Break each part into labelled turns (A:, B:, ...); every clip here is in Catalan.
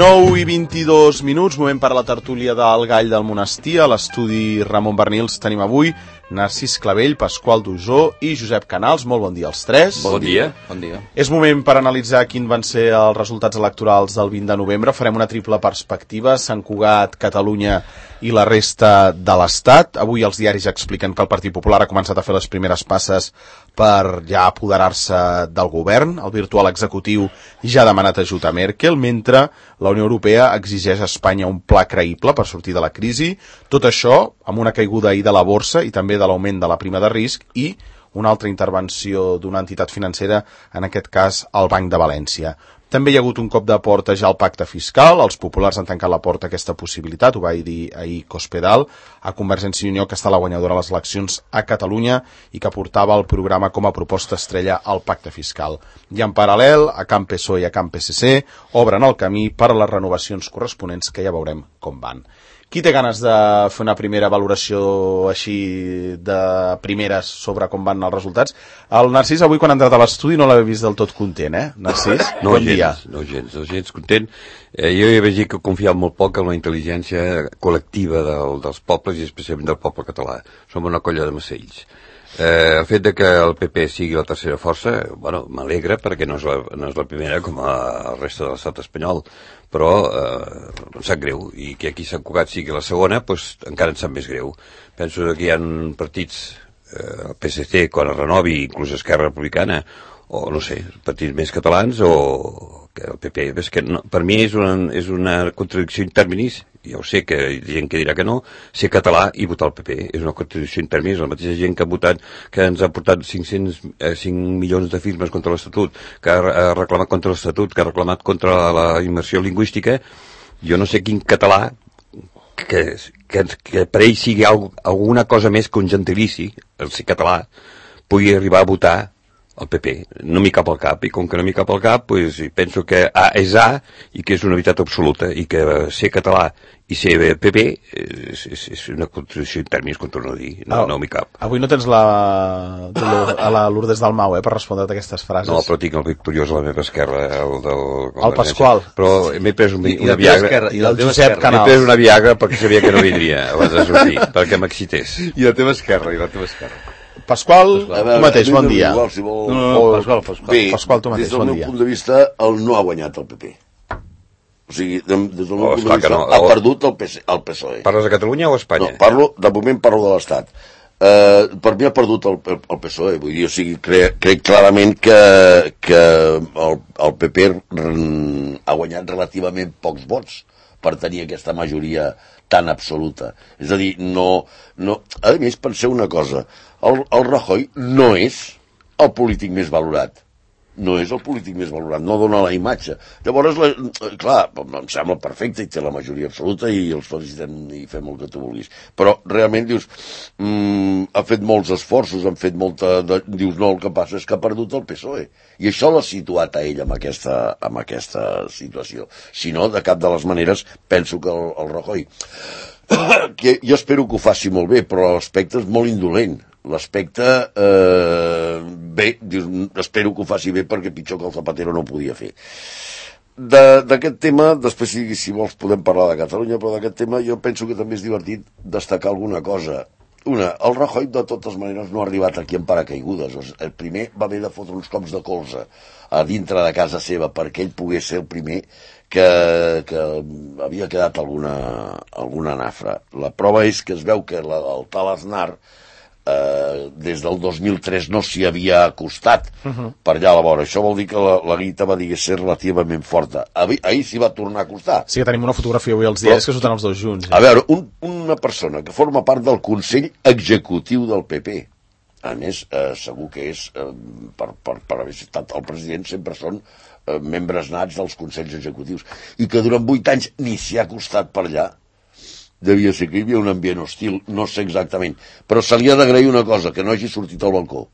A: 9:22, moment per a la tertúlia del Gall del Monestir. A l'estudi Ramon Bernils tenim avui Narcís Clavell, Pasqual Dujó i Josep Canals. Molt bon dia als tres.
B: Bon dia.
A: És moment per analitzar quins van ser els resultats electorals del 20 de novembre. Farem una triple perspectiva: Sant Cugat, Catalunya i la resta de l'Estat. Avui els diaris expliquen que el Partit Popular ha començat a fer les primeres passes per ja apoderar-se del govern. El virtual executiu ja ha demanat ajut a Merkel, mentre la Unió Europea exigeix a Espanya un pla creïble per sortir de la crisi. Tot això amb una caiguda ahir de la borsa i també de l'augment de la prima de risc i una altra intervenció d'una entitat financera, en aquest cas el Banc de València. També hi ha hagut un cop de porta ja al pacte fiscal. Els populars han tancat la porta a aquesta possibilitat, ho va dir ahir Cospedal, a Convergència i Unió, que està la guanyadora a les eleccions a Catalunya i que portava el programa com a proposta estrella al pacte fiscal. I en paral·lel, a Camp PSOE i a Camp PSC obren el camí per a les renovacions corresponents, que ja veurem com van. Qui té ganes de fer una primera valoració així de primeres sobre com van els resultats? El Narcís avui, quan ha entrat a l'estudi, no l'havia vist del tot content, Narcís?
B: No, bon dia. No gens content. Jo ja vaig dir que confiava molt poc en la intel·ligència col·lectiva dels pobles i especialment del poble català. Som una colla de macells. El fet de que el PP sigui la tercera força, bueno, m'alegra perquè no és la primera com a resta de l'estat espanyol, però em sap greu, i que aquí Sant Cugat sigui la segona, doncs encara em sap més greu. Penso que hi ha partits, el PSC quan es renovi, inclús Esquerra Republicana, o no sé, partits més catalans, o que el PP, és que no, per mi és una contradicció in terminis. Ja ho sé que hi ha gent que dirà que no, ser català i votar el PP és una contradicció in terminis. La mateixa gent que ha votat, que ens ha portat 5 milions de firmes contra l'Estatut, que ha reclamat contra l'Estatut, que ha reclamat contra la immersió lingüística, jo no sé quin català que per ell sigui alguna cosa més que un gentilici, el ser català, pugui arribar a votar el PP. No m'hi cap al cap, i com que no m'hi cap al cap, pues, penso que A és A i que és una veritat absoluta, i que ser català i ser PP és una contradicció en termes, com torno a dir. No m'hi cap.
A: Avui no tens a la Lourdes Dalmau per respondre-te aquestes frases.
B: No, però tinc el victoriós a la meva esquerra,
A: el Pasqual.
B: Però m'he pres una Viagra.
A: I el Josep Canals.
B: M'he pres una Viagra perquè sabia que no vindria abans de sortir, perquè m'excités.
C: I la teva esquerra.
A: Pasqual, tu mateix, bon dia.
C: Pasqual,
A: tu mateix, bon dia.
C: Des del meu punt de vista, no ha guanyat el PP. O sigui, des del meu punt de vista, ha perdut el PSOE.
B: Parles de Catalunya o Espanya?
C: No, de moment parlo de l'Estat. Per mi ha perdut el PSOE, vull dir, o sigui, crec clarament que el PP ha guanyat relativament pocs vots per tenir aquesta majoria tan absoluta. És a dir, no... A més, penseu una cosa, el Rajoy no és el polític més valorat. No és el polític més valorat, no dona la imatge. Llavors, clar, em sembla perfecte, i té la majoria absoluta i els felicitem i fem el que tu vulguis. Però realment dius, ha fet molts esforços, han fet molta... Dius, no, el que passa és que ha perdut el PSOE. I això l'ha situat a ell en aquesta situació. Si no, de cap de les maneres, penso que el Rajoy, que jo espero que ho faci molt bé, però l'aspecte és molt indolent. L'aspecte, bé, espero que ho faci bé perquè pitjor que el Zapatero no ho podia fer. D'aquest tema, després si vols podem parlar de Catalunya, però d'aquest tema jo penso que també és divertit destacar alguna cosa. El Rajoy de totes maneres no ha arribat aquí en paracaigudes. El primer va haver de fotre uns cops de colze a dintre de casa seva perquè ell pogués ser el primer que havia quedat alguna nafra. La prova és que es veu que el tal Aznar des del 2003 no s'hi havia acostat per allà a la vora. Això vol dir que la guita va ser relativament forta. Ahir s'hi va tornar a acostar.
A: Sí que tenim una fotografia avui als diaris que surten els dos junts.
C: A veure, una persona que forma part del Consell Executiu del PP, a més, segur que és per haver estat el president, sempre són membres nats dels Consells Executius, i que durant 8 anys ni s'hi ha acostat per allà. Devia ser que hi havia un ambient hostil, no sé exactament, però se li ha d'agrair una cosa, que no hagi sortit al balcó,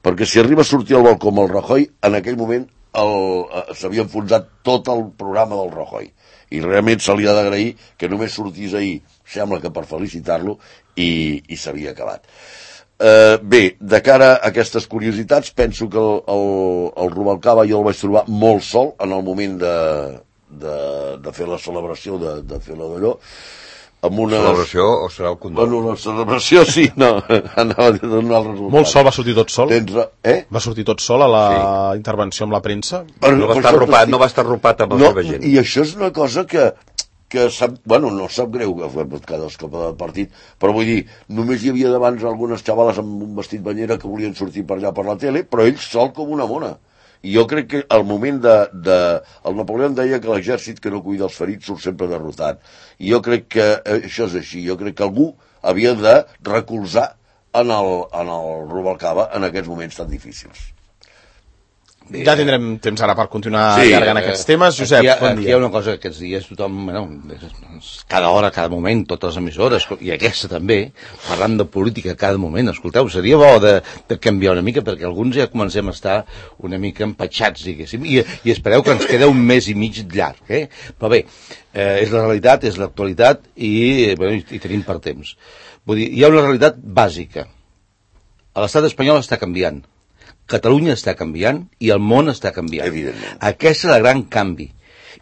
C: perquè si arriba a sortir al balcó amb el Rajoy, en aquell moment s'havia enfonsat tot el programa del Rajoy, i realment se li ha d'agrair que només sortís ahir, sembla que per felicitar-lo, i s'havia acabat. Bé, de cara a aquestes curiositats, penso que el Rubalcaba jo el vaig trobar molt sol en el moment de fer la celebració, de fer la d'allò, amb una...
B: Celebració o serà el condol?
C: Bueno, la celebració sí, no, anava a donar el resultat.
A: Molt sol, va sortir tot sol?
C: Va
A: sortir tot sol a la intervenció amb la premsa?
B: No va estar arropat amb la seva gent.
C: I això és una cosa que sap, bueno, no sap greu cada escapa de partit, però vull dir, només hi havia d'abans algunes xavales amb un vestit banyera que volien sortir per allà per la tele, però ell sol com una mona. I jo crec que al moment el Napoleó deia que l'exèrcit que no cuida els ferits surt sempre derrotat. I jo crec que això és així. Jo crec que algú havia de recolzar en el Rubalcaba en aquests moments tan difícils.
A: Ja tindrem temps ara per continuar allargant aquests temes. Josep, bon dia.
D: Aquí hi ha una cosa que aquests dies tothom, cada hora, cada moment, totes les emissores, i aquesta també, parlant de política cada moment. Escolteu, seria bo de canviar una mica, perquè alguns ja comencem a estar una mica empatxats, diguéssim, i espereu que ens queda un mes i mig llarg, Però bé, és la realitat, és l'actualitat, i tenim per temps. Vull dir, hi ha una realitat bàsica. L'estat espanyol està canviant. Catalunya està canviant i el món està canviant.
C: Evidentment.
D: Aquest és el gran canvi.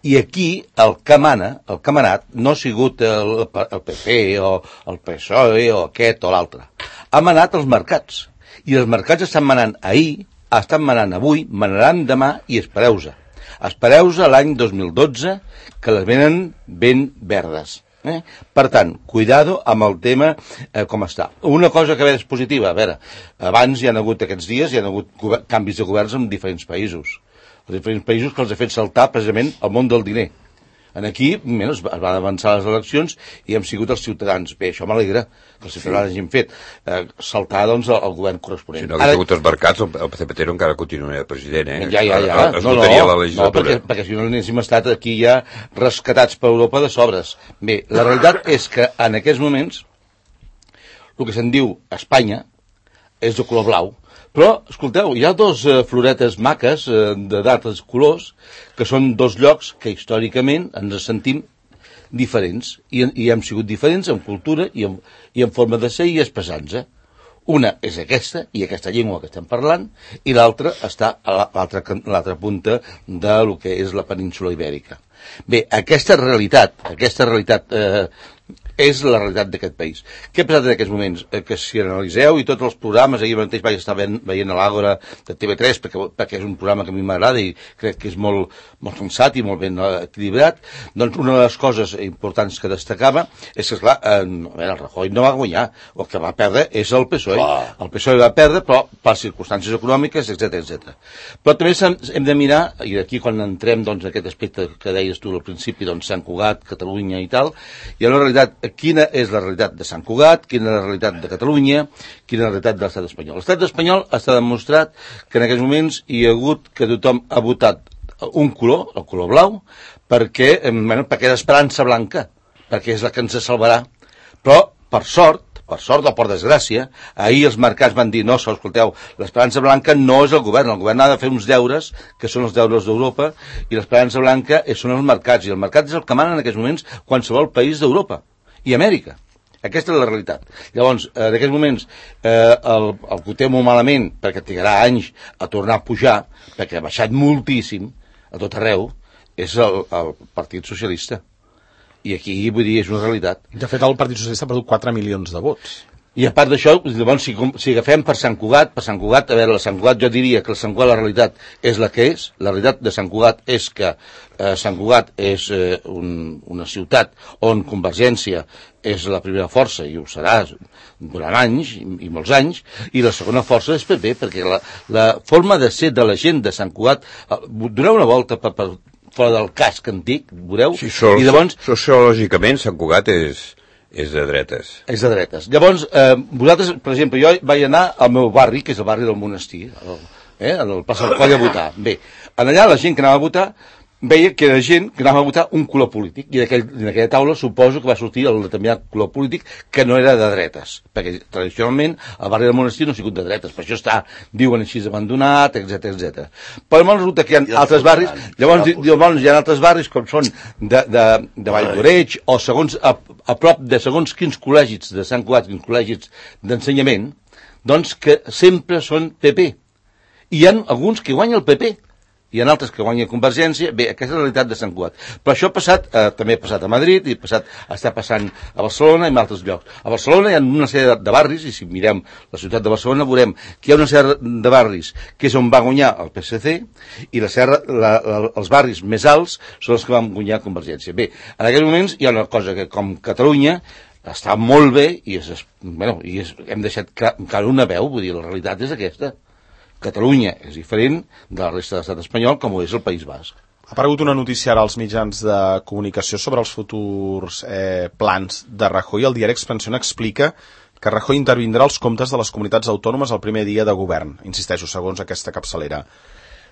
D: I aquí el que mana, el que ha manat, no ha sigut el PP o el PSOE o aquest o l'altre. Ha manat els mercats. I els mercats estan manant ahir, estan manant avui, manaran demà i espereu-se. Espereu-se l'any 2012 que les venen ben verdes. Per tant, cuidado amb el tema com està. Una cosa que és positiva, a veure, abans hi ha hagut aquests dies, hi ha hagut canvis de governs en diferents països. Els diferents països que els ha fet saltar precisament el món del diner. Aquí es van avançar les eleccions i hem sigut els ciutadans. Bé, això m'alegra que els ciutadans hagin fet saltar, doncs, el govern corresponent.
B: Si no hagués hagut els mercats, el Zapatero encara continuaria president,
D: Ja.
B: Es votaria la legislatura.
D: Perquè si no n'haguéssim estat aquí ja rescatats per Europa de sobres. Bé, la realitat és que en aquests moments el que se'n diu Espanya és de color blau. Però, escolteu, hi ha dos floretes maques de d'altres colors, que són dos llocs que històricament ens sentim diferents, i hem sigut diferents en cultura i en forma de ser i expressar-nos. Una és aquesta, i aquesta llengua que estem parlant, i l'altra està a l'altra punta de lo que és la península ibèrica. Bé, aquesta realitat és la realitat d'aquest país. Què ha passat en aquests moments? Que si analitzeu i tots els programes, ahir mateix vaig estar veient a l'Àgora de TV3, perquè és un programa que a mi m'agrada i crec que és molt sensat i molt ben equilibrat, doncs una de les coses importants que destacava és que, esclar, el Rajoy no va guanyar, el que va perdre és el PSOE. El PSOE va perdre, però per circumstàncies econòmiques, etc. Però també hem de mirar, i aquí quan entrem doncs, en aquest aspecte que deies tu al principi, doncs Sant Cugat, Catalunya i tal, hi ha una realitat. Quina és la realitat de Sant Cugat, quina és la realitat de Catalunya, quina és la realitat de l'estat espanyol. L'estat espanyol està demostrat que en aquests moments hi ha hagut que tothom ha votat un color, el color blau, perquè és l'esperança blanca, perquè és la que ens salvarà. Però, per sort o per desgràcia, ahir els mercats van dir, no, escolteu, l'esperança blanca no és el govern ha de fer uns deures, que són els deures d'Europa, i l'esperança blanca són els mercats, i el mercat és el que mana en aquests moments qualsevol país d'Europa i Amèrica. Aquesta és la realitat. Llavors, en aquests moments, el que ho té molt malament, perquè trigarà anys a tornar a pujar, perquè ha baixat moltíssim a tot arreu, és el Partit Socialista. I aquí, vull dir, és una realitat.
A: De fet, el Partit Socialista ha perdut 4 milions de vots.
D: I a part d'això, llavors, si agafem per Sant Cugat, a veure, la Sant Cugat, jo diria que el Sant Cugat, la realitat és la que és. La realitat de Sant Cugat és que Sant Cugat és una ciutat on Convergència és la primera força, i ho serà durant anys, i molts anys, i la segona força és PP, perquè la forma de ser de la gent de Sant Cugat, doneu una volta per fora del casc antic, veureu?
B: Sí, sociològicament Sant Cugat és de dretes.
D: És de dretes. Llavors, vosaltres, per exemple, jo vaig anar al meu barri, que és el barri del Monestir, al Plaça del Coll a votar. Bé, allà la gent que anava a votar veia que era gent que anava a votar un color polític, i en aquella taula suposo que va sortir el determinat color polític que no era de dretes, perquè tradicionalment el barri del Monestir no ha sigut de dretes, per això diuen així abandonat, etc. Però llavors resulta que hi ha altres barris, llavors hi ha altres barris com són de Vall d'Oreig, o segons a prop de segons quins col·legis de Sant Cugat, quins col·legis d'ensenyament, doncs que sempre són PP. I hi ha alguns que guanya el PP, hi ha altres que guanya Convergència. Bé, aquesta és la realitat de Sant Cugat. Però això ha passat, també ha passat a Madrid, i està passant a Barcelona i en altres llocs. A Barcelona hi ha una sèrie de barris, i si mirem la ciutat de Barcelona veurem que hi ha una sèrie de barris que és on va guanyar el PSC, i els barris més alts són els que van guanyar Convergència. Bé, en aquests moments hi ha una cosa que, com Catalunya, està molt bé i hem deixat encara una veu, vull dir, la realitat és aquesta. Catalunya és diferent de la resta de l'estat espanyol, com ho és el País Basc.
A: Ha aparegut una notícia ara als mitjans de comunicació sobre els futurs plans de Rajoy. El diari Expansión explica que Rajoy intervindrà als comptes de les comunitats autònomes el primer dia de govern, insisteixo, segons aquesta capçalera.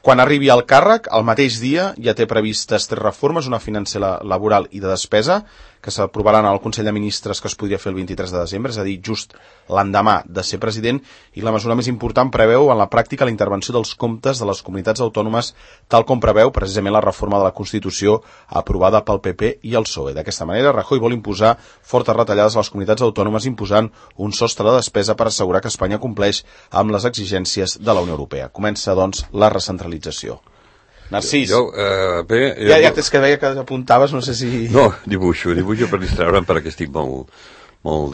A: Quan arribi al càrrec, el mateix dia ja té previstes 3 reformes, una financera, laboral i de despesa, que s'aprovaran al Consell de Ministres, que es podria fer el 23 de desembre, és a dir, just l'endemà de ser president, i la mesura més important preveu en la pràctica la intervenció dels comptes de les comunitats autònomes, tal com preveu precisament la reforma de la Constitució aprovada pel PP i el PSOE. D'aquesta manera, Rajoy vol imposar fortes retallades a les comunitats autònomes, imposant un sostre de despesa per assegurar que Espanya compleix amb les exigències de la Unió Europea. Comença, doncs, la recentralització. Narcís, ja és que veia que apuntaves, no sé si...
B: No, dibuixo per distraure'm perquè estic molt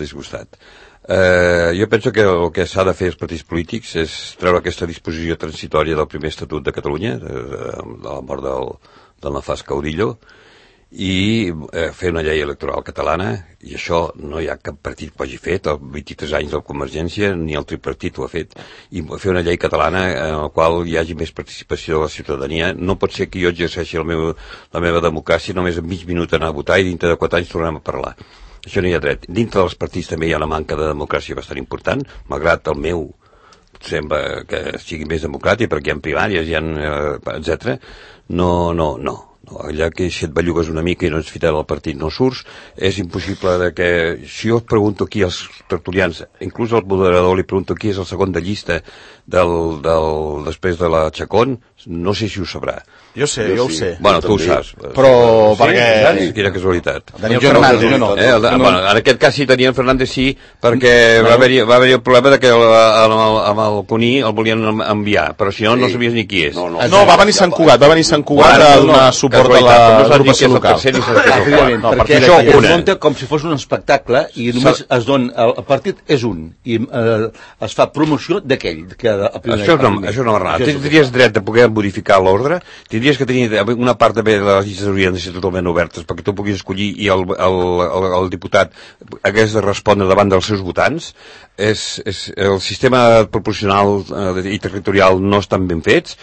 B: disgustat. Jo penso que el que s'ha de fer els partits polítics és treure aquesta disposició transitòria del primer estatut de Catalunya, de la mort del nefast Caudillo, i fer una llei electoral catalana, i això no hi ha cap partit que ho hagi fet, els 23 anys de la Convergència, ni el tripartit ho ha fet, i fer una llei catalana en la qual hi hagi més participació de la ciutadania. No pot ser que jo exerceixi la meva democràcia només en mig minut anar a votar i dintre de 4 anys tornem a parlar. Això no hi ha dret. Dintre dels partits també hi ha una manca de democràcia bastant important, malgrat el meu sembla que sigui més democràtic perquè hi ha primàries, etc. No. Allà que si et bellugues una mica i no ets fidel al partit no surts, és impossible de que... Si jo et pregunto aquí als tertulians, inclús al moderador li pregunto qui és el segon de llista després de la Chacón, no sé si ho sabrà.
A: Jo ho sé.
B: Bueno, tu ho saps.
A: Però perquè...
B: Quina casualitat.
A: Daniel Fernández, no.
B: En aquest cas sí, Daniel Fernández sí, perquè va haver-hi el problema de que amb el Cuní el volien enviar, però si no, no sabies ni qui és.
A: No, va venir Sant Cugat, a donar suport a l'agrupació local.
D: Perquè això ho munta com si fos un espectacle i només es dona... El partit és un i es fa promoció d'aquell.
B: Això no va anar. Tindries dret de poder modificar l'ordre, tindries que tenir una part també de les llistes haurien de ser totalment obertes perquè tu puguis escollir i el diputat hagués de respondre davant dels seus votants. El sistema proporcional i territorial no estan ben fets.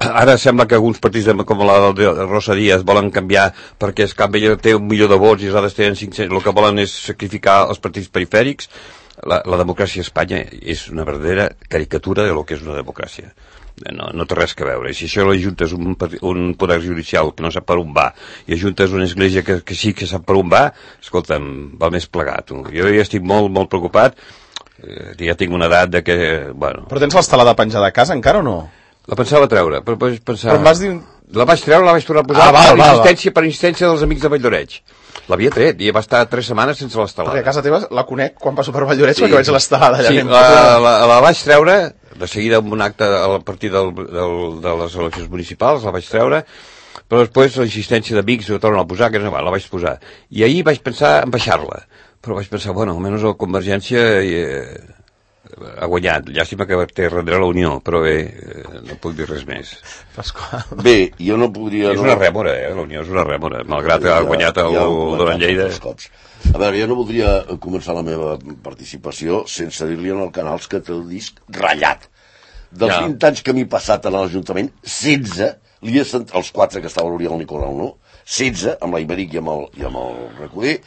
B: Ara sembla que alguns partits com la de Rosa Díaz volen canviar perquè es canvia, té 1 milió de vots i nosaltres tenen 500, el que volen és sacrificar els partits perifèrics. La democràcia a Espanya és una verdadera caricatura de lo que és una democràcia. No té res que veure. Si això ajuntes un poder judicial que no sap per on va i ajuntes una església que sí que sap per on va, escolta'm, va més plegat. Jo ja estic molt preocupat, ja tinc una edat de que... Bueno.
A: Però tens l'estelada penjada a casa encara o no?
B: La pensava treure, però
A: em vas dir...
B: La vaig treure, la vaig tornar a posar per insistència dels amics de Valldoreix. L'havia tret i va estar 3 setmanes sense l'estelada.
A: Perquè a casa teva la conec quan passo per Valldoreix perquè veig l'estelada allà.
B: Sí, la vaig treure, de seguida amb un acte a partir de les eleccions municipals, la vaig treure, però després la insistència d'amics ho tornen a posar, que no va, la vaig posar. I ahir vaig pensar en baixar-la, però vaig pensar, bueno, almenys la Convergència ha guanyat. Llàstima que té darrere la Unió, però bé, no puc dir res més.
C: Bé, jo no podria...
B: És una rèmora, la Unió és una rèmora, malgrat que ha guanyat el Duran Lleida.
C: A veure, jo no voldria començar la meva participació sense dir-li al Canals que té el disc ratllat. Dels 20 anys que m'he passat a l'Ajuntament, 16, els 4 que estava l'Oriol Nicolau, no? 16, amb la Iberic i amb el Recoder,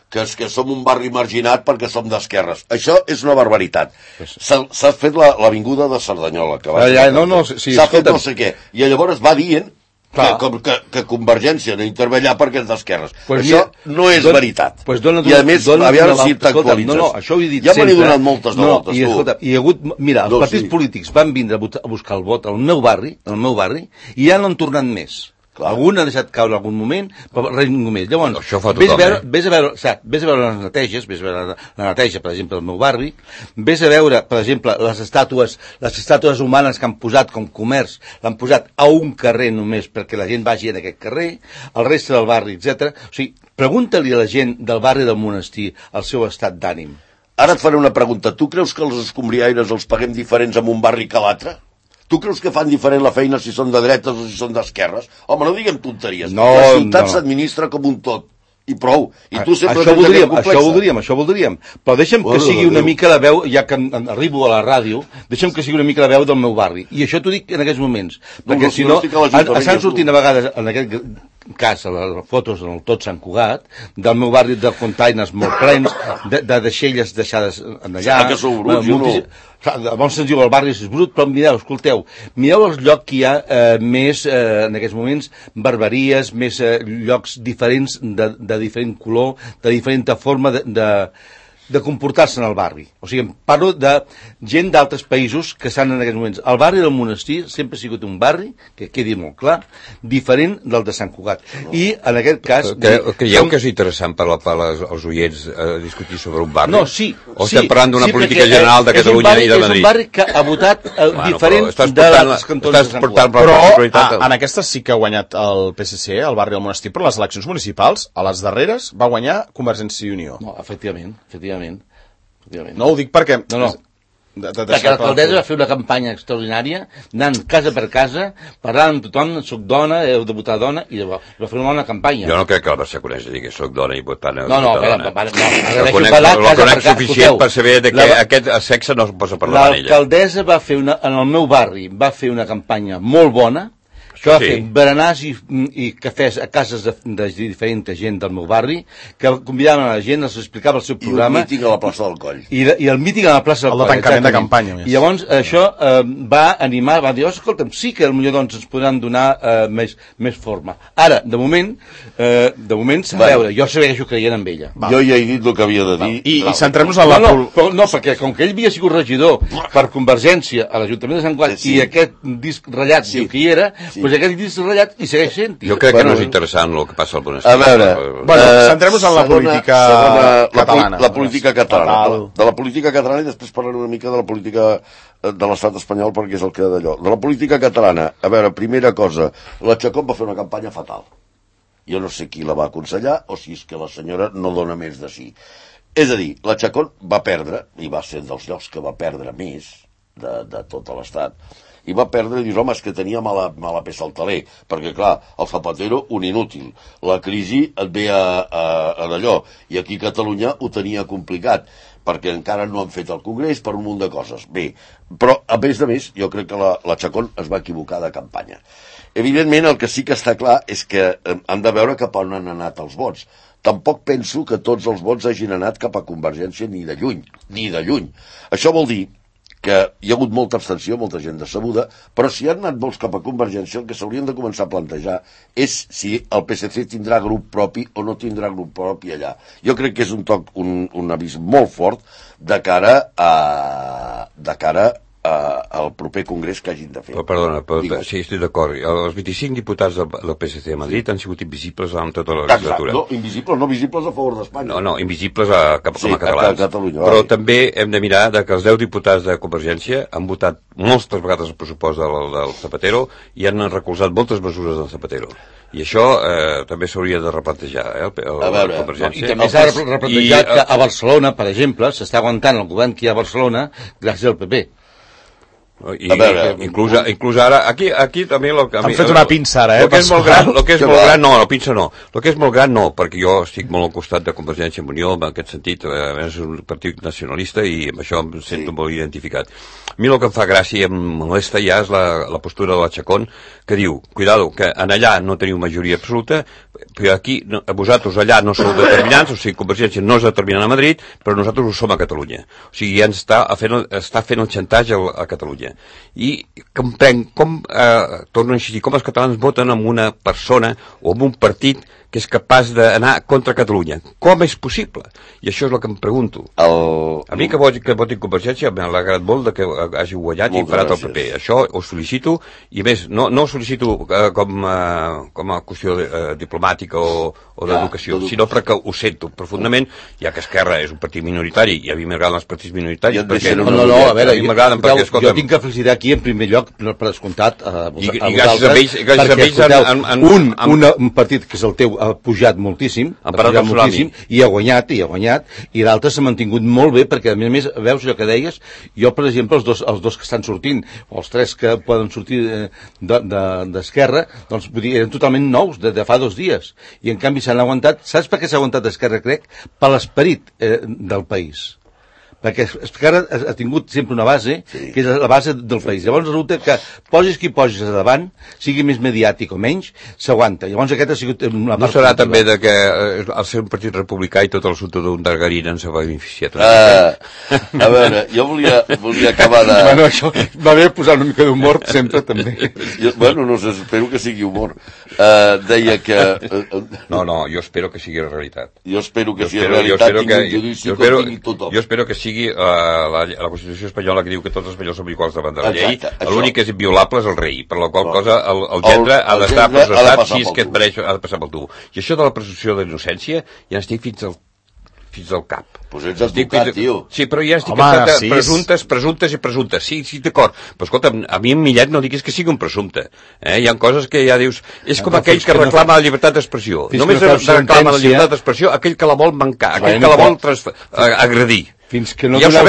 C: que som un barri marginat perquè som d'esquerres. Això és una barbaritat. S'ha fet l'avinguda de Cerdanyola, que s'ha fet no sé què, i llavors va dient que Convergència no intervé allà perquè és d'esquerres. Això no és veritat. I a més, a veure si t'actualitzes. Ja m'han donat moltes de voltes, tu.
D: Hi ha hagut, mira, els partits polítics van vindre a buscar el vot al meu barri, i ja no han tornat més.
C: Clar.
D: Algun ha deixat caure en algun moment, però res ningú més. Llavors,
B: això fa tothom,
D: vés a veure les neteges, vés a veure la neteja, per exemple, del meu barri, vés a veure, per exemple, les estàtues humanes que han posat com comerç, l'han posat a un carrer només perquè la gent vagi en aquest carrer, el reste del barri, etc. O sigui, pregunta-li a la gent del barri del Monestir el seu estat d'ànim.
C: Ara et faré una pregunta. Tu creus que els escombriaires els paguem diferents en un barri que l'altre? Tu creus que fan diferent la feina si són de dretes o si són d'esquerres? Home, no diguem tonteries. La ciutat s'administra com un tot. I prou. I tu sempre
D: això voldríem. Però deixa'm que sigui una mica la veu, ja que arribo a la ràdio, deixa'm que sigui una mica la veu del meu barri. I això t'ho dic en aquests moments. Perquè si no, estan sortint a vegades, en aquest cas, a les fotos en el tot Sant Cugat, del meu barri de containers molt plens, de deixelles deixades allà.
C: Que sou bruts, no?
D: Llavors se'ns diu el barri és brut, però mireu el lloc que hi ha més, en aquests moments, barberies, més llocs diferents, de diferent color, de diferent forma de comportar-se en el barri. O sigui, parlo de gent d'altres països que estan en aquests moments. El barri del Monestir sempre ha sigut un barri, que quedi molt clar, diferent del de Sant Cugat. I, en aquest cas...
B: Creieu que és interessant per als oients discutir sobre un barri?
D: No, sí.
B: O estem parlant d'una política general de Catalunya i de Madrid?
D: És un barri que ha votat diferent de les cantons de Sant Cugat.
A: Però en aquestes sí que ha guanyat el PSC, el barri del Monestir, però les eleccions municipals, a les darreres, va guanyar Convergència i Unió.
D: No, efectivament.
A: No ho dic perquè...
D: No. Perquè l'alcaldessa va fer una campanya extraordinària, anant casa per casa, parlant amb tothom, soc dona, heu de votar dona, i va fer una bona campanya.
B: Jo no crec que la Barcelonesa digui soc dona i votant
D: no,
B: dona.
D: La
B: conec suficient per saber que aquest sexe no es posa parlar amb ella.
D: L'alcaldessa va fer en el meu barri, va fer una campanya molt bona, que va fer berenars i cafès a cases de diferent gent del meu barri, que convidaven a la gent, els explicava el seu programa.
C: I un míting a la plaça del Coll.
D: I el míting a la plaça del Coll.
A: El de tancament de campanya.
D: I llavors això va animar, va dir, escolta'm, sí que potser doncs ens podran donar més forma. Ara, de moment s'ha de veure, jo segueixo creient en ella.
C: Jo ja he dit el que havia de dir.
A: I centrem-nos en la...
D: No, perquè com que ell havia sigut regidor per Convergència a l'Ajuntament de Sant Cugat i aquest disc ratllat diu que hi era, doncs aquest disc ratllat i segueix sent.
B: Jo crec que no és interessant el que passa al Monestir.
C: A veure...
A: Centrem-nos en la política catalana.
C: La política catalana. De la política catalana i després parlaré una mica de la política de l'estat espanyol perquè és el que d'allò. De la política catalana, a veure, primera cosa, la Chacón va fer una campanya fatal. Jo no sé qui la va aconsellar o si és que la senyora no dona més de sí. És a dir, la Chacón va perdre, i va ser dels llocs que va perdre més de tot l'estat, i va perdre, i dius, home, és que tenia mala peça al taler, perquè, clar, el Zapatero, un inútil. La crisi et ve a d'allò, i aquí a Catalunya ho tenia complicat, perquè encara no han fet el Congrés per un munt de coses. Bé, però, a més de més, jo crec que la Chacón es va equivocar de campanya. Evidentment, el que sí que està clar és que han de veure cap on han anat els vots. Tampoc penso que tots els vots hagin anat cap a Convergència ni de lluny. Això vol dir que hi ha hagut molta abstenció, molta gent decebuda, però si han anat vots cap a Convergència, el que s'haurien de començar a plantejar és si el PSC tindrà grup propi o no tindrà grup propi allà. Jo crec que és un avís molt fort de cara al proper congrés que hagin de fer.
B: Perdona, sí, estic d'acord. Els 25 diputats del PSC a Madrid han sigut invisibles en tota la legislatura.
C: No, invisibles, no visibles a favor d'Espanya.
B: No, invisibles com a catalans.
C: A Catalunya,
B: però també hem de mirar que els 10 diputats de Convergència han votat moltes vegades el pressupost del Zapatero i han recolzat moltes mesures del Zapatero. I això també s'hauria de replantejar,
C: a veure,
B: Convergència.
D: I també s'ha de replantejar que a Barcelona, per exemple, s'està aguantant el govern que hi ha a Barcelona gràcies al PP.
B: I inclús ara aquí també
A: han fet una pinça ara,
B: el que és molt gran, la pinça no, el que és molt gran no, perquè jo estic molt al costat de Convergència i Unió en aquest sentit, és un partit nacionalista i amb això em sento molt identificat. A mi el que em fa gràcia i em molesta ja és la postura de la Chacón, que diu, cuidado, que en allà no teniu majoria absoluta, però aquí, vosaltres allà no sou determinants, o sigui, Convergència no és determinant a Madrid, però nosaltres ho som a Catalunya. O sigui, ja està fent el xantatge a Catalunya. I comprenc torno a insistir, com els catalans voten amb una persona o amb un partit que és capaç d'anar contra Catalunya. Com és possible? I això és el que em pregunto. A mi que votin Convergència m'ha alegrat molt que hagi guanyat i parat el PP. Això ho sol·licito, i a més, no ho sol·licito com a qüestió diplomàtica o d'educació, sinó perquè ho sento profundament, ja que Esquerra és un partit minoritari, i a mi m'agraden els partits minoritaris, perquè
D: a veure, jo tinc que felicitar aquí en primer lloc, per descomptat,
B: i gràcies a ells
D: un partit que és el teu ha pujat moltíssim, i ha guanyat, i l'altre s'ha mantingut molt bé, perquè a més veus allò que deies, jo per exemple els dos que estan sortint, o els tres que poden sortir d'Esquerra, doncs eren totalment nous de fa 2 dies, i en canvi s'han aguantat. Saps per què s'ha aguantat Esquerra, crec? Per l'esperit del país, perquè Esquerra ha tingut sempre una base, que és la base del país. Llavors resulta que posis qui posis a davant, sigui més mediàtic o menys, s'aguanta. Llavors aquest ha sigut una part...
B: No serà també de que al ser un partit republicà i tot l'assumpte d'un Dargarín ens ha beneficiat?
C: A veure, jo volia acabar de...
D: Bueno, això va bé posar una mica d'humor sempre, també.
C: No sé, espero que sigui humor. Deia que...
B: No, jo espero que sigui realitat.
C: Jo espero que sigui realitat, tingui un judici com tingui tothom.
B: Jo espero que sigui la Constitució espanyola, que diu que tots els espanyols som iguals davant de la llei. L'únic que és inviolable és el rei, per la qual cosa el gendre ha d'estar processat si és que et mereix, ha de passar pel tubo. I això de la presumpció d'innocència ja estic fins al cap.
C: Pues ets advocat, tio.
B: Sí, però ja estic cansat de presumptes. Sí, d'acord. Però escolta, a mi en Millet no diguis que sigui un presumpte. Hi ha coses que ja dius... És com aquell que reclama la llibertat d'expressió. Només reclama la llibertat d'expressió aquell que la vol mancar, aquell que la vol agredir.
D: Fins que no doneu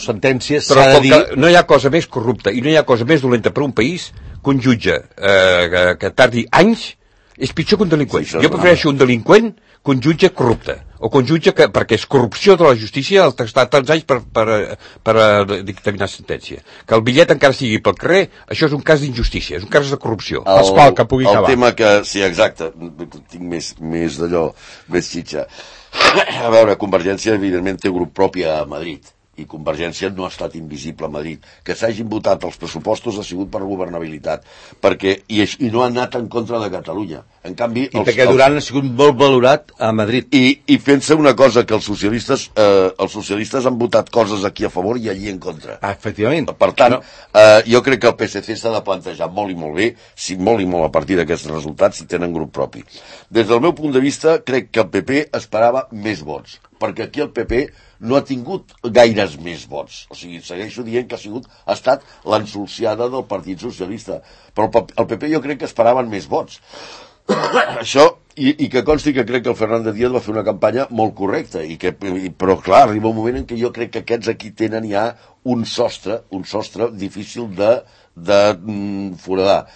D: sentència, s'ha de dir...
B: No hi ha cosa més corrupta i no hi ha cosa més dolenta per un país que un jutge que tardi anys és pitjor que un delinqüent. Jo prefereixo un delinqüent que un jutge corrupte, o que un jutge perquè és corrupció de la justícia el estar tants anys per dictaminar sentència. Que el bitllet encara sigui pel carrer, això és un cas d'injustícia, és un cas de corrupció.
A: Que pugui acabar.
C: El tema que... Sí, exacte, tinc més d'allò, més xitxa. A veure, Convergència evidentment té grup propi a Madrid, i Convergència no ha estat invisible a Madrid. Que s'hagin votat els pressupostos ha sigut per governabilitat, i no ha anat en contra de Catalunya. En canvi,
D: perquè Duran ha sigut molt valorat a Madrid.
C: I fent-se una cosa, que els socialistes han votat coses aquí a favor i allí en contra.
D: Efectivament.
C: Per tant, jo crec que el PSC s'ha de plantejar molt i molt bé, molt i molt a partir d'aquests resultats, si tenen grup propi. Des del meu punt de vista, crec que el PP esperava més vots, perquè aquí el PP no ha tingut gaires més vots. O sigui, segueixo dient que ha estat l'ensolciada del Partit Socialista. Però el PP jo crec que esperaven més vots. Això, i que consti que crec que el Fernández Díaz va fer una campanya molt correcta, però clar, arriba un moment en què jo crec que aquests aquí tenen ja un sostre difícil de foradar,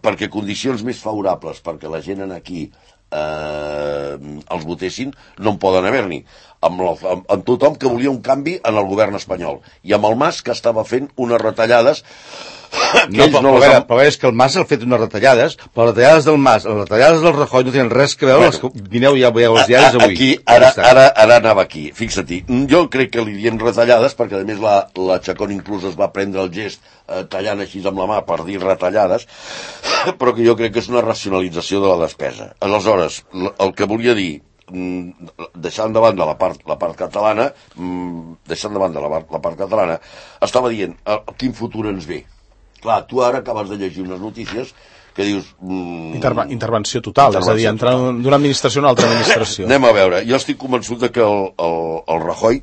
C: perquè condicions més favorables perquè la gent aquí els votessin no en poden haver-n'hi, amb tothom que volia un canvi en el govern espanyol, i amb el Mas, que estava fent unes retallades
D: però és que el Mas ha fet unes retallades, però les retallades del Mas, les retallades del Rajoy no tenen res que veure, vineu ja veieu els diaris avui.
C: Aquí, ara anava aquí, fixa-t'hi. Jo crec que li diem retallades, perquè a més la Chacón inclús es va prendre el gest tallant així amb la mà per dir retallades, però que jo crec que és una racionalització de la despesa. Aleshores, el que volia dir, deixant de banda la part catalana, estava dient quin futur ens ve. Clar, tu ara acabes de llegir unes notícies que dius...
A: Intervenció total, és a dir, entrar d'una administració a una altra administració.
C: Anem a veure, jo estic convençut que el Rajoy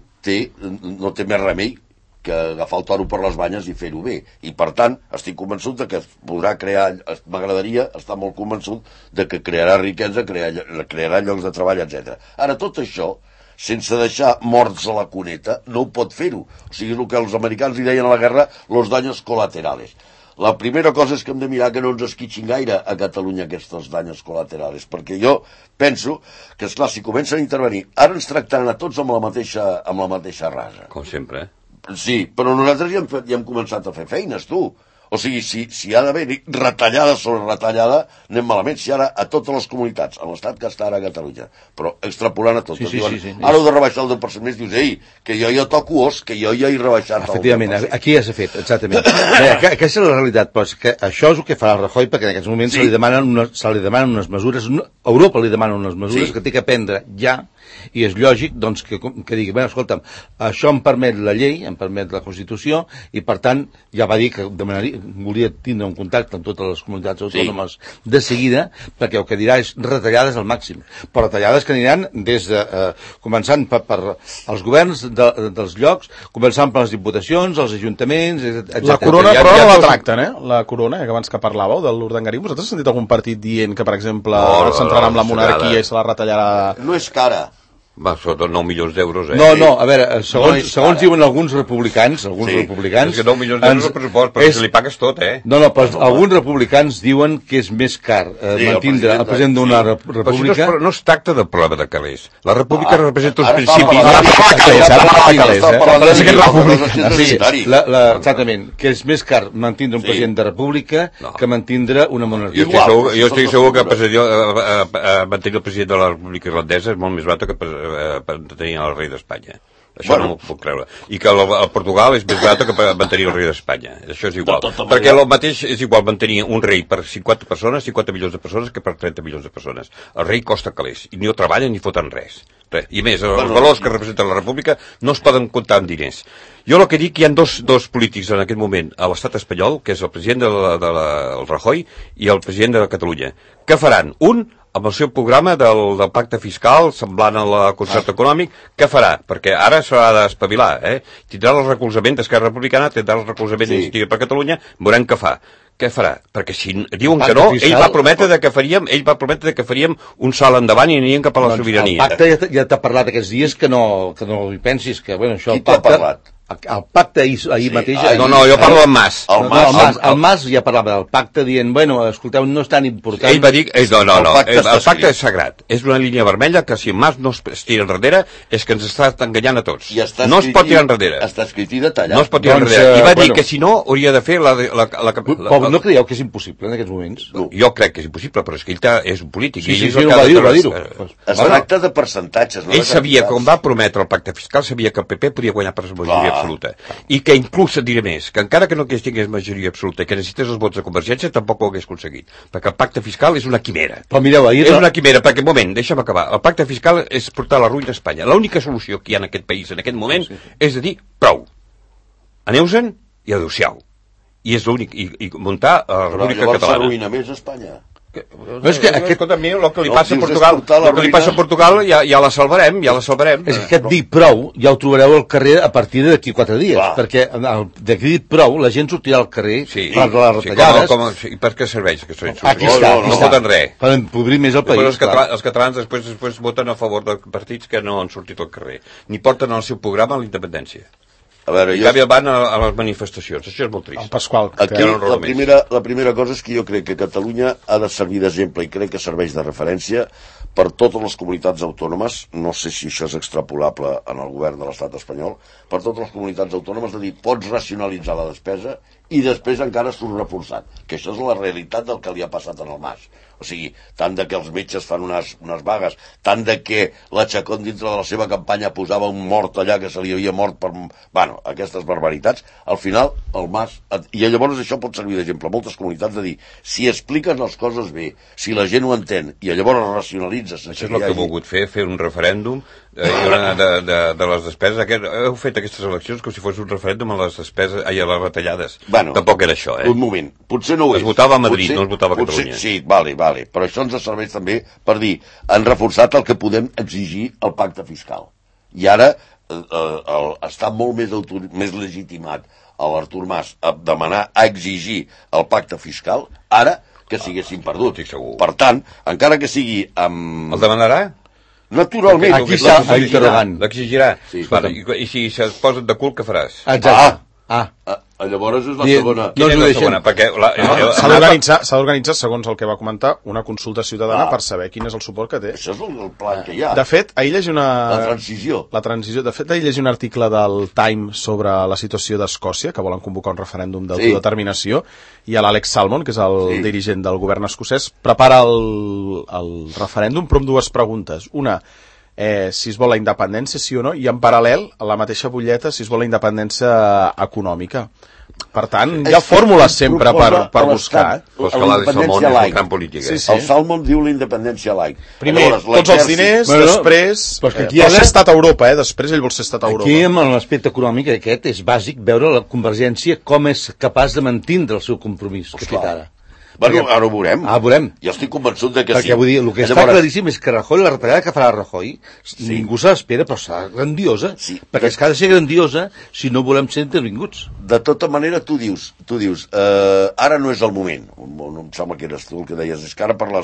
C: no té més remei que agafar el toro per les banyes i fer-ho bé. I per tant, estic convençut que podrà crear, m'agradaria estar molt convençut que crearà riquesa, crearà llocs de treball, etc. Ara, tot això, sense deixar morts a la cuneta, no ho pot fer-ho. O sigui, és el que els americans li deien a la guerra, los daños colaterales. La primera cosa és que hem de mirar que no ens esquitxin gaire a Catalunya aquests daños colaterales, perquè jo penso que, esclar, si comencen a intervenir, ara ens tractaran a tots amb la mateixa rasa.
B: Com sempre,
C: Sí, però nosaltres ja hem començat a fer feines, tu. O sigui, si ha d'haver retallada sobre retallada, anem malament. Si ara a totes les comunitats, a l'Estat que està ara a Catalunya, però extrapolant a tot, diuen, ara heu de rebaixar el 10% més, dius, ei, que jo ja toco os, que jo ja he rebaixat el 10%.
D: Efectivament, aquí ja s'ha fet, exactament. Aquesta és la realitat, però és que això és el que farà el Rajoy, perquè en aquests moments se li demanen unes mesures, Europa li demana unes mesures que té que prendre ja, i és lògic doncs, que digui, bé, escolta'm, això em permet la llei, em permet la Constitució, i per tant ja va dir que volia tindre un contacte amb totes les comunitats autònomes de seguida, perquè el que dirà és retallades al màxim, però retallades que aniran des de, començant per els governs dels llocs, començant per les diputacions, els ajuntaments, etc.
A: La corona, però no la tracten, La corona, que abans que parlàveu de l'Urdangarí, vosaltres heu sentit algun partit dient que, per exemple, s'entrarà amb la monarquia i se la retallarà?
C: No és cara.
B: Va, sota 9 milions d'euros,
D: No, a veure, segons diuen alguns republicans...
B: És que 9 milions d'euros el pressupost, però si li pagues tot,
D: No, però alguns republicans diuen que és més car mantindre el president d'una república...
B: No es tracta del problema de calés. La república representa uns principis...
D: Exactament, que és més car mantindre un president de república que mantindre una monarquia.
B: Jo estic segur que mantenir el president de la república irlandesa és molt més barat que tenir el rei d'Espanya. Això no m'ho puc creure. I que el Portugal és més barat que mantenir el rei d'Espanya. Això és igual. Perquè el mateix és igual mantenir un rei per 50 persones, 50 milions de persones, que per 30 milions de persones. El rei costa calés. I ni ho treballen ni foten res. I més, els valors que representa la república no es poden comptar en diners. Jo el que dic, hi ha dos polítics en aquest moment a l'estat espanyol, que és el president del Rajoy i el president de Catalunya. Què faran? Un, amb el seu programa del pacte fiscal, semblant al concert econòmic, què farà? Perquè ara s'ha d'espavilar, Tindrà el recolzament d'Esquerra Republicana, tindrà el recolzament d'Iniciativa per Catalunya, veurem què fa. Què farà? Perquè si diuen que no, ell va prometre que faríem un salt endavant i aniríem cap a la sobirania.
D: El pacte ja t'ha parlat aquests dies que no hi pensis, que bueno, això...
C: Qui t'ha parlat?
D: El pacte ahir mateix...
B: No, jo parlo amb Mas.
D: El Mas ja parlava del pacte dient, bueno, escolteu, no és tan important...
B: Ell va dir... No, el pacte és sagrat. És una línia vermella que si Mas no es tira enrere és que ens està enganyant a tots. No es pot tirar enrere.
C: Està escrit i detallat.
B: No es pot tirar enrere. I va dir que si no hauria de fer la...
D: No creieu que és impossible en aquests moments?
B: Jo crec que és impossible, però és que ell és un polític.
D: Sí, va dir-ho.
C: Es tracta de percentatges.
B: Ell sabia, com va prometre el pacte fiscal, sabia que el PP podia guanyar per majoria absoluta. I que inclús et diré més, que encara que no tingués majoria absoluta i que necessités els vots de Convergència, tampoc ho hagués aconseguit. Perquè el pacte fiscal és una quimera.
D: Però mireu,
B: és una quimera, perquè, moment, deixa'm acabar. El pacte fiscal és portar la ruïna a Espanya. L'única solució que hi ha en aquest país en aquest moment és de dir prou. Aneu-se'n i adeu-siau. I és l'únic, i muntar la República Catalana.
C: Llavors s'arruïna més Espanya.
B: Escolta, a mi el que li passa a Portugal ja la salvarem.
D: És que aquest dir prou ja ho trobareu al carrer a partir d'aquí 4 dies, perquè d'aquí dit prou la gent sortirà al carrer per les retallades.
B: I per què serveix que són
D: aquí està,
B: no voten res
D: per empobrir més el país.
B: Els catalans després voten a favor de partits que no han sortit al carrer ni porten al seu programa la independència. A veure, en canvi van a les manifestacions. Això és molt trist.
A: El Pasqual.
C: Aquí la primera cosa és que jo crec que Catalunya ha de servir d'exemple i crec que serveix de referència per totes les comunitats autònomes, no sé si això és extrapolable en el govern de l'estat espanyol, per totes les comunitats autònomes de dir pots racionalitzar la despesa i després encara surt reforçat, que això és la realitat del que li ha passat en el Mas. O sigui, tant de que els metges fan unes vagues, tant de que la Chacón dintre de la seva campanya posava un mort allà que se li havia mort per... Bueno, aquestes barbaritats, al final el Mas... I llavors això pot servir d'exemple a moltes comunitats de dir, si expliques les coses bé, si la gent ho entén, i llavors racionalitzes...
B: Això és el que he volgut fer un referèndum de les despeses. Heu fet aquestes eleccions com si fos un referèndum a les despeses, a les retallades.
C: Bueno,
B: tampoc era això,
C: Un moment, potser no ho és.
B: Es votava a Madrid, no es votava a Catalunya.
C: Sí, vale, però això ens serveix també per dir, han reforçat el que podem exigir al pacte fiscal. I ara està molt més legitimat l'Artur Mas a demanar, a exigir el pacte fiscal, ara que s'haguessin perdut. Per tant, encara que sigui amb...
B: El demanarà?
C: Naturalment.
D: Aquí està l'interrogant.
B: L'exigirà. I si es posen de cul, què faràs?
D: Exacte.
C: Llavors és la segona.
B: Quina és la segona? Perquè
A: s'ha d'organitzar, segons el que va comentar, una consulta ciutadana per saber quin és el suport que té.
C: Això és el plan que hi ha.
A: De fet, ahir llegeix
C: La transició.
A: De fet, ahir llegeix un article del Time sobre la situació d'Escòcia, que volen convocar un referèndum d'autodeterminació, i l'Àlex Salmond, que és el dirigent del govern escocès, prepara el referèndum, però amb dues preguntes. Una, si es vol la independència, sí o no, i en paral·lel, a la mateixa butlleta, si es vol la independència econòmica. Per tant, hi ha fórmules sempre per buscar.
B: Però que la de Salmond és un camp polític.
C: El Salmond diu la independència laic.
A: Primer, tots els diners, després... Vol ser estat a Europa, després ell vol ser estat a Europa.
D: Aquí, amb l'aspecte econòmic aquest, és bàsic veure la Convergència com és capaç de mantindre el seu compromís que ha fet ara.
C: Bueno, ara ho veurem.
D: Veurem.
C: Jo estic convençut de que
D: perquè, vull dir, el que està claríssim és que Rajoy, la retallada que farà Rajoy, ningú se l'espera, però serà grandiosa, perquè és que ha de ser grandiosa si no volem ser intervinguts.
C: De tota manera, tu dius, ara no és el moment. Em sembla que eres tu el que deies, és que ara pel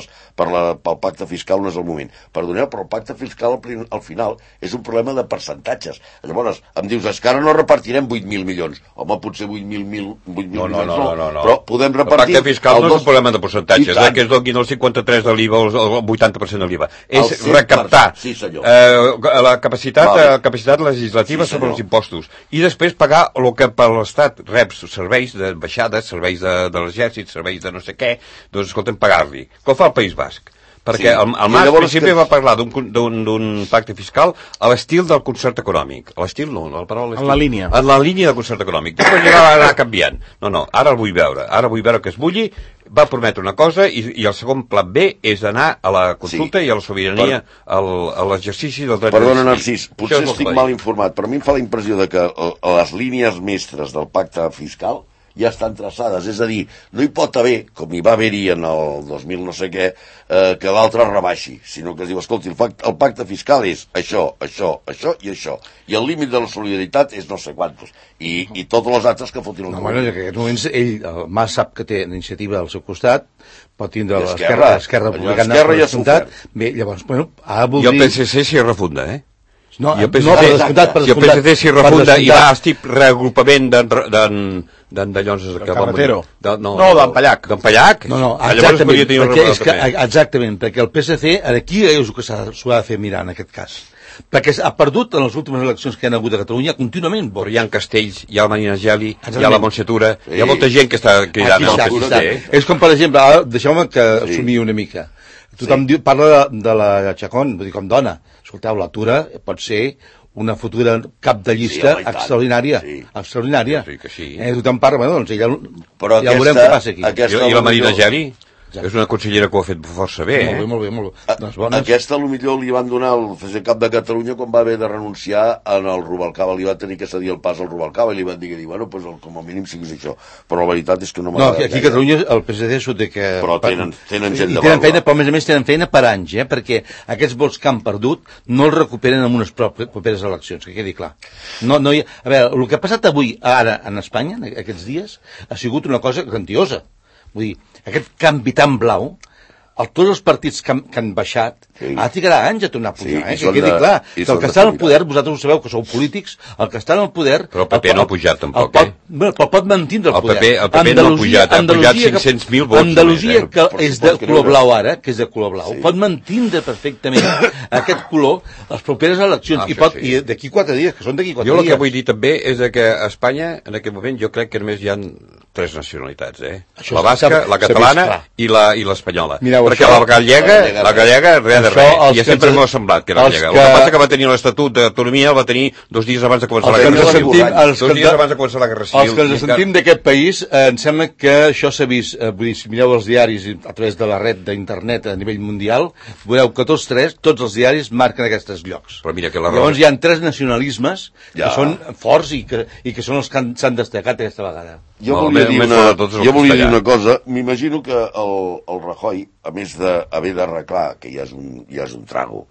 C: pacte fiscal no és el moment. Perdoneu, però el pacte fiscal al final és un problema de percentatges. Llavors, em dius, és que ara no repartirem 8.000 milions. Home, potser 8.000 milions no, però podem repartir...
B: El pacte fiscal no és un problema de percentatges, que es donin el 53 de l'IVA o el 80% de l'IVA. És recaptar la capacitat legislativa sobre els impostos i després pagar el que per l'Estat rep serveis de baixades, serveis de l'exèrcit, serveis de no sé què, doncs escolta'm, pagar-li. Com fa el País Basc? Perquè el Mas al principi va parlar d'un pacte fiscal a l'estil del concert econòmic. A l'estil no, la paraula
A: en la línia.
B: En la línia del concert econòmic. Després ja va anar canviant. No, ara el vull veure. Ara vull veure que es bulli, va prometre una cosa i el segon plan B és anar a la consulta i a la sobirania, a l'exercici del dret a decidir.
C: Perdona, Narcís, potser estic mal informat, però a mi em fa la impressió de que les línies mestres del pacte fiscal ja estan traçades, és a dir, no hi pot haver, com hi va haver-hi en el 2000 no sé què, que l'altre rebaixi, sinó que es diu, escolti, el pacte fiscal és això i això, i el límit de la solidaritat és no sé quantos, i totes les altres que fotin el
D: govern. En aquests moments, el Mas sap que té iniciativa al seu costat, pot tindre l'esquerra republicana
C: ja
D: descomptat, bé, llavors, bueno,
B: i el PSC s'hi refunda,
D: No,
B: si el PSC s'hi refunda i va al tip reagrupament d'en Llonses de
A: Carretero.
B: No,
A: d'en Pallac.
B: D'en Pallac?
D: No, exactament, perquè el PSC aquí és el que s'ho ha de fer mirar en aquest cas. Perquè ha perdut en les últimes eleccions que han hagut a Catalunya contínuament.
B: Però hi ha Castells, hi ha el Marina Geli, hi ha la Montsetura, hi ha molta gent que està cridant al PSC.
D: És com, per exemple, deixeu-me que assumir una mica. Tothom parla de la Chacón, vull dir, com dona. Escolteu, la Tura pot ser una futura cap de llista extraordinària. Extraordinària. Tothom parla, bueno, doncs ja veurem què passa aquí.
B: I la Marina Geli? És una consellera que ho ha fet força bé,
D: Molt bé.
C: Aquesta, potser li van donar el CCCAP de Catalunya quan va haver de renunciar en el Rubalcaba. Li va tenir que cedir el pas al Rubalcaba i li van dir bueno, pues, com a mínim siguis això. Però la veritat és que no m'agrada.
D: No, aquí a Catalunya el PSD s'ho té que...
C: Però tenen gent de
D: vàlua. Però a més tenen feina per anys, perquè aquests vots que han perdut no els recuperen en unes properes eleccions, que quedi clar. A veure, el que ha passat avui, ara, en Espanya, aquests dies, ha sigut una cosa grandiosa. Vull dir, aquest canvi tan blau, tots els partits que han baixat, ara trigarà anys a tornar a pujar, que quedi clar. Que el que està al poder, vosaltres ho sabeu, que sou polítics, el que està al poder...
B: Però el PP no ha pujat tampoc,
D: Però pot mantindre el poder.
B: El PP no ha pujat, ha pujat 500.000 vots.
D: Andalusia, que és de color blau ara, pot mantindre perfectament aquest color les properes eleccions. I d'aquí 4 dies, que són d'aquí 4 dies.
B: Jo el que vull dir també és que a Espanya, en aquest moment, jo crec que només hi ha 3 nacionalitats, la basca, la catalana i l'espanyola. Perquè la gallega, res de res. I sempre m'ho ha semblat que era gallega. El que passa que va tenir l'Estatut d'autonomia, el va tenir 2 dies abans de començar la Guerra Civil. 2 dies abans de començar la Guerra Civil.
D: Els que ens sentim d'aquest país, em sembla que això s'ha vist, vull dir, si mireu els diaris a través de la red d'internet a nivell mundial, veureu que tots els diaris marquen aquests llocs. Llavors hi ha 3 nacionalismes que són forts i que són els que s'han destacat aquesta vegada.
C: Jo volia dir una cosa. M'imagino que el Rajoy, a més d'haver d'arreglar, que ja és un trago,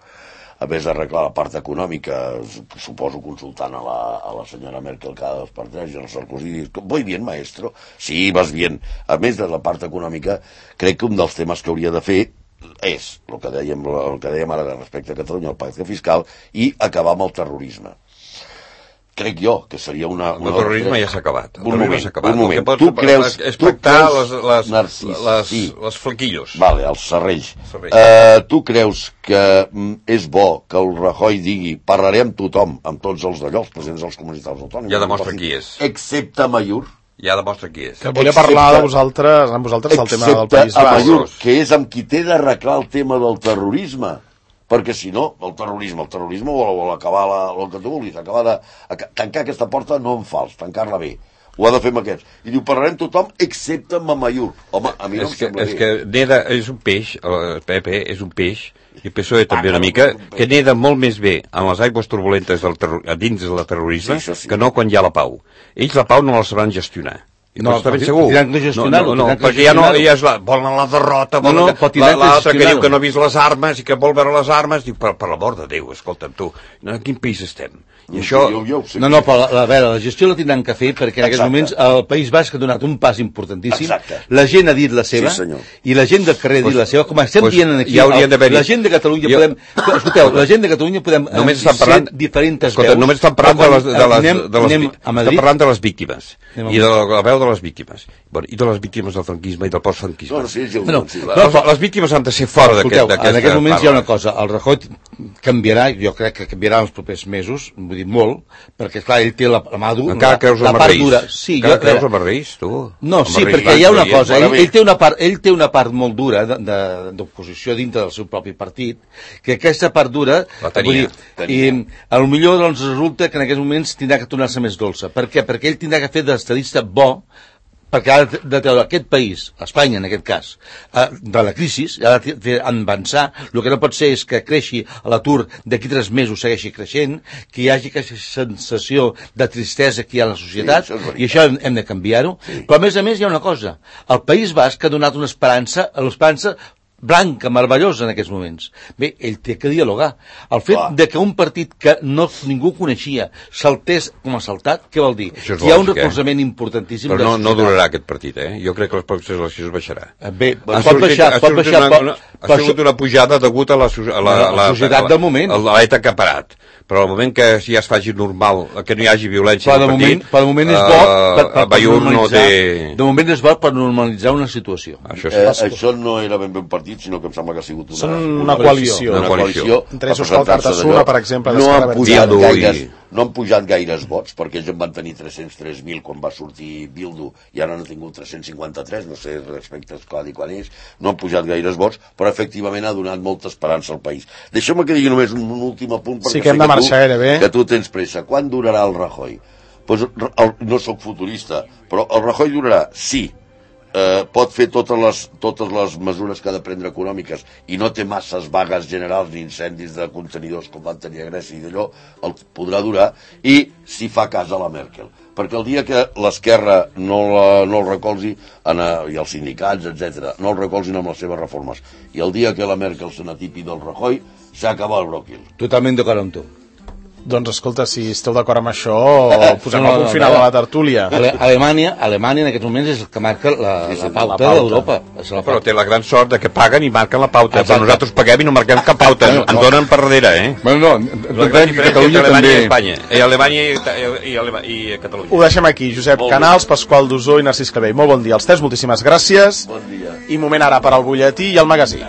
C: a més d'arreglar la part econòmica, suposo consultant a la senyora Merkel cada 2 per 3 i el Sarkozy dius, voy bien, maestro? Sí, vas bien. A més de la part econòmica, crec que un dels temes que hauria de fer és el que dèiem ara respecte a Catalunya, el pacte fiscal, i acabar amb el terrorisme. crec jo que seria una...
B: El terrorisme ja s'ha acabat.
C: Un moment. Tu creus...
B: Les flequillos.
C: Vale, els serrells. Tu creus que és bo que el Rajoy digui parlaré amb tothom, amb tots els d'allò, els presidents de les comunitats autònomes?
B: Ja demostra qui és.
C: Excepte Mayur.
B: Ja demostra qui és.
A: Que volia parlar amb vosaltres del tema del País Basc.
C: Mayur, que és amb qui té d'arreglar el tema del terrorisme. Perquè si no, el terrorisme vol acabar el que tu vulguis, tancar aquesta porta no en fals, tancar-la bé. Ho ha de fer amb aquests. I diu, parlarem tothom excepte amb Mayur. Home, a mi no em sembla bé.
B: És que neda és un peix, el PP és un peix, i el PSOE també una mica, que neda molt més bé en les aigües turbulentes dins del terrorisme que no quan hi ha la pau. Ells la pau no la sabran gestionar. No, està ben segur. No, perquè ja és volen la derrota, l'altre que diu que no ha vist les armes i que vol veure les armes, diu, per l'amor de Déu, escolta'm tu, en quin país estem? I això...
D: No, però a veure, la gestió la tindran que fer perquè en aquests moments el País Basc ha donat un pas importantíssim, la gent ha dit la seva i la gent del carrer ha dit la seva, com estem dient aquí, la gent de Catalunya podem, escolteu, la gent de Catalunya podem ser diferents veus.
B: Només estan parlant de les víctimes i de la veu de les víctimes i de les víctimes del franquisme i del postfranquisme. Les víctimes han de ser fora d'aquesta...
D: En aquests moments hi ha una cosa, el Rajoy canviarà, jo crec que canviarà en els propers mesos, vull dir molt, perquè clar, ell té la mà dura,
B: encara creus en Marreís? Encara creus en Marreís, tu?
D: No, sí, perquè hi ha una cosa, ell té una part molt dura d'oposició dintre del seu propi partit, que aquesta part dura
B: la tenia.
D: I potser doncs resulta que en aquests moments tindrà que tornar-se més dolça. Per què? Perquè ell tindrà que fer d'estadista bo, perquè ha de treure aquest país, Espanya en aquest cas, de la crisi, ha de fer avançar. El que no pot ser és que creixi l'atur d'aquí 3 mesos segueixi creixent, que hi hagi aquesta sensació de tristesa que hi ha a la societat, i això hem de canviar-ho. Però a més hi ha una cosa, el País Basc ha donat una esperança, l'esperança blanca, meravellosa en aquests moments. Bé, ell té que dialogar. El fet de que un partit que ningú coneixia saltés com ha saltat, què vol dir? Hi ha un recolzament importantíssim.
B: Però no durarà aquest partit, Jo crec que les pròximes eleccions baixarà.
D: Bé, pot baixar.
B: Ha sigut una pujada degut a la
D: societat del moment.
B: L'ETA que ha parat. Però al moment que ja es faci normal, que no hi hagi violència
D: al partit, de moment és bo
B: Bayur no té...
D: De moment és bo per normalitzar una situació.
C: Això no era ben bé un partit, sinó que em sembla que ha sigut
A: una coalició.
C: Una coalició.
A: Entre Òscar Cartassuna, per exemple,
C: no han pujat gaires vots, perquè ells en van tenir 303.000 quan va sortir Bildu, i ara n'han tingut 353, no sé respecte al codi quan és, no han pujat gaires vots, però efectivament ha donat molta esperança al país. Deixa'm que digui només un últim apunt, perquè sé que tu tens pressa. Quan durarà el Rajoy? No sóc futurista, però el Rajoy durarà, sí, pot fer totes les mesures que ha de prendre econòmiques i no té masses vagues generals ni incendis de contenidors com van tenir a Grècia i d'allò, el podrà durar, i si fa cas a la Merkel, perquè el dia que l'esquerra no el recolzi i els sindicats, etc., no el recolzin amb les seves reformes, i el dia que la Merkel se n'atipi del Rajoy, s'acaba el bròquil.
D: Totalment d'acord amb tu.
A: Doncs escolta, si esteu d'acord amb això, posem el punt final a la tertúlia.
D: Alemanya en aquests moments és el que marca la pauta d'Europa.
B: Però té la gran sort de que paguen i marquen la pauta, però nosaltres paguem i no marquem cap pauta, ens donen per darrere,
D: Bueno,
B: la gran diferència entre Alemanya i Espanya, Alemanya i Catalunya.
A: Ho deixem aquí, Josep Canals, Pasqual Dusó i Narcís Clavell. Molt bon dia als tres, moltíssimes gràcies.
C: Bon dia.
A: I moment ara per al butlletí i el magazín.